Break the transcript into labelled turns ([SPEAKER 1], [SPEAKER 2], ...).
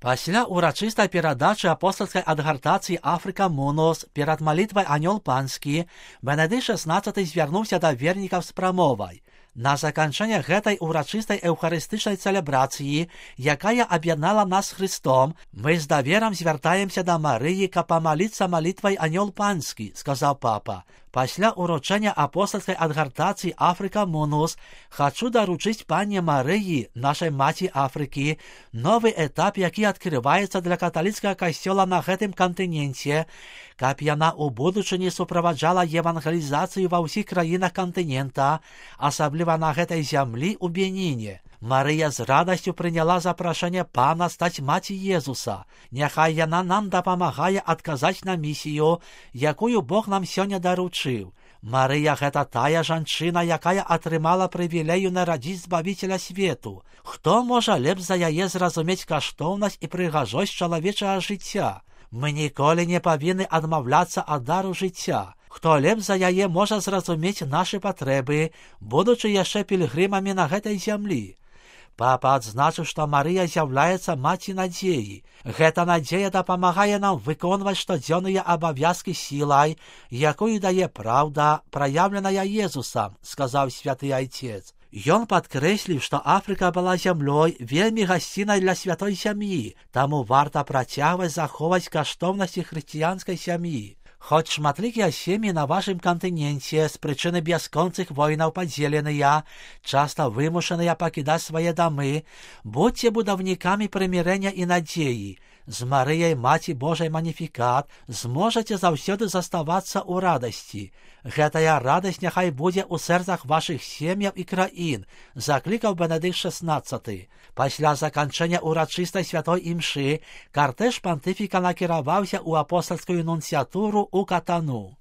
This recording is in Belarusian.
[SPEAKER 1] Пасля урачыстай перадачы апостольскай адгартацыі Афрыка Мунус перад малітвай Анёл Панскі Бенедыкт XVI звярнуўся да вернікаў з прамовай. На заканчэнне гэтай урачыстай эўхарыстычнай цэлебрацыі, якая аб'яднала нас з Христом, мы з даверам звяртаемся да Марыі, каб памаліцца малітвай Анёл Панскі, сказаў папа. Пасля уручэння апостольскай адгартацыі Афрыка Мунус хачу даручыць пані Марыі, нашай маці Афрыкі, новы этап, які адкрываецца для каталіцкага касцёла на гэтым кантыненце, каб яна ў будучыні суправаджала евангелізацыю ва ўсіх краінах кантынента, асабліва на гэтай зямлі ў Беніне. Марыя з радасцю прыняла запрашэнне пана стаць маці Езуса. Няхай яна нам дапамагае адказаць на місію, якую Бог нам сёння даручыў. Марыя — гэта тая жанчына, якая атрымала прывілею нарадзіць збавіцеля свету. Хто можа лепш за яе зразумець каштоўнасць і прыгажосць чалавечага жыцця? Мы ніколі не павінны адмаўляцца ад дару жыцця. Хто лепш за яе можа зразумець нашы патрэбы, будучы яшчэ пільгрымамі на гэтай зямлі? Папа адзначыў, што Марыя з'яўляецца маці надзеі. Гэта надзея дапамагае нам выконваць штодзённыя абавязкі сілай, якую дае праўда, праяўленая Езусам, сказаў святы айцец. Ён падкрэсліў, што Афрыка была зямлёй вельмі гасцінай для святой сям'і, таму варта працягваць захоўваць каштоўнасці хрысціянскай сям'і. Хоць шматлікія сем'і на вашым кантыненце з прычыны бясконцых войнаў падзеленыя, часта вымушаныя пакідаць свае дамы, будзьце будаўнікамі прымірэння і надзеі. З Марыяй, маці Божай Маніфікат, зможаце заўсёды заставацца ў радасці. Гэтая радасць няхай будзе ў сэрцах вашых сем'яў і краін, заклікаў Бенедыкт XVI. Пасля заканчэння урачыстай святой імшы картэж пантыфіка накіраваўся ў апостальскую нунцыятуру ў Катану.